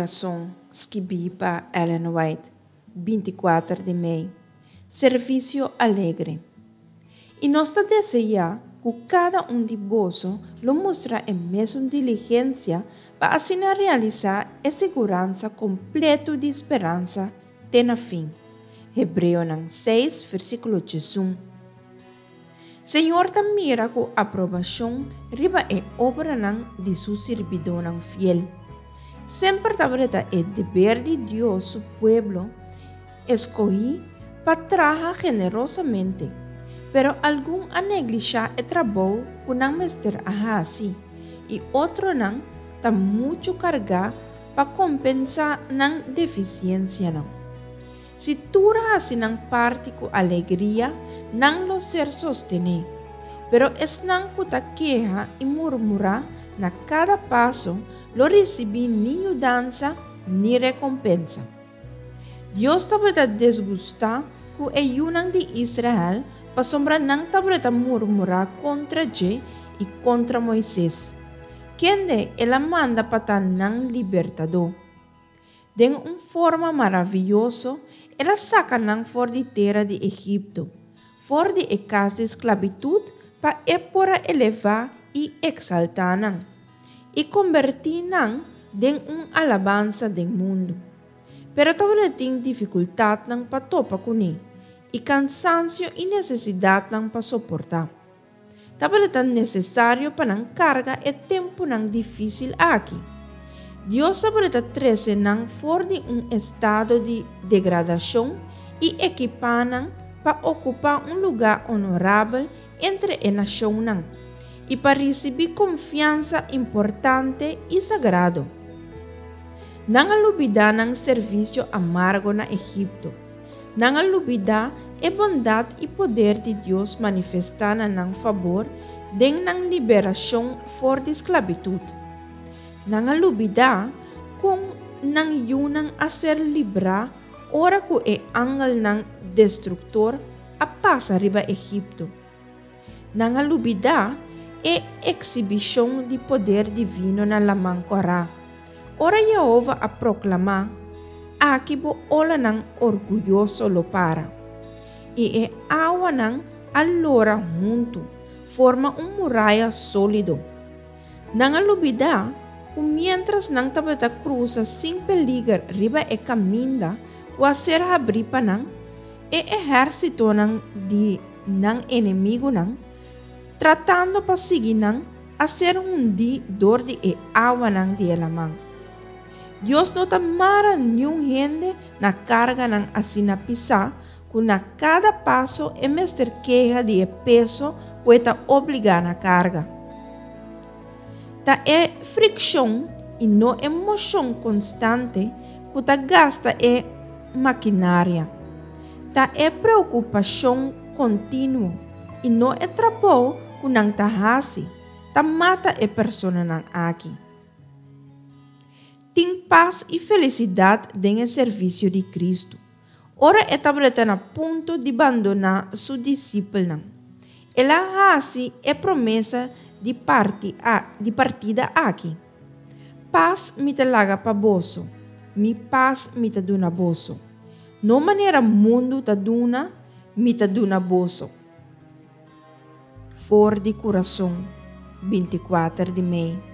Kurason, skibí pa Ellen White, 24 di mei. Servisio alegre. I nos ta deseá ku kada un di boso lo mustra e mesun diligensia pa asina realisá e siguransa kompletu di speransa te na fin. Hebreonan 6, versíkulo 11. Señor ta mira ku aprobashon riba e obranan di su sirbidónan fiel. Semper tabata e deber di Dios su pueblo eskohí pa traha generosamente, pero algun a neglishá e trabou ku nan mester a hasi i otronan ta muchu kargá pa kompensá nan defisiensianan. Si tur hasi nan parti ku alegria, nan lo ser sostené. Pero esnan ku ta keha i murmurá na kada paso lo risibí ni yudansa ni rekompensa. Dios tabata desgustá ku e yunan di Israel pasobra nan tabata murmurá kontra dje i kontra Moises, kende el a manda pa ta nan libertadó. Den un forma maravioso, el a saka nan for di tera di Egipto, for di e kas di sklabitut pa e por a elevá i eksaltá nan, i kombertí nan den un alabansa den mundu. Pero tabata tin difikultatnan pa topa kuné i kansansio i nesesidatnan pa soportá. Tabata nesesario pa nan karga e tempunan difísil aki. Dios tabata trese nan for di un estado di degradashon i ekipá nan pa okupá un lugá onorabel entre e nashonnan i pa risibí konfiansa importante i sagrado. Nan a lubidá nan servisio amargo na Egipto. Nan a lubidá e bondat i poder di Dios manifestá na nan fabor den nan liberashon for di sklabitut. Nan a lubidá kon nan yunan a ser librá ora ku e angelnan destruktor a pasa riba Egipto. Nan a lubidá e eksibishon di poder divino na Laman Kòrá, ora Yehova a proklamá, Aki bo olanan orguyoso lo para. I e awanan a lora huntu, forma un muraya sólido. Nan a lubidá ku miéntras nan tabata krusa sin peliger riba e kaminda ku a ser habrí pa nan, E ehérsitonan di nan enemigunan, tratando pa sigui nan, a ser hundí dor di e awanan di e laman. Dios no ta mara niun hende na karganan asina pisá ku na kada paso e mester keha di e peso ku e ta obligá na karga. Ta e frikshon i no e moshon konstante ku ta gasta e makinaria. Ta e preokupashon kontinuo i no e trabou ku nan ta hasi ta mata e personanan aki. Tin pas i felisidat den e servisio di Kristu. Ora e tabata na punto di bandoná su disipelnan, el a hasi e promesa di parti di partida aki, Pas mi ta laga pa boso, mi pas mi ta duna boso. No manera mundu ta duna, mi ta duna boso. For di kurason, 24 di mei.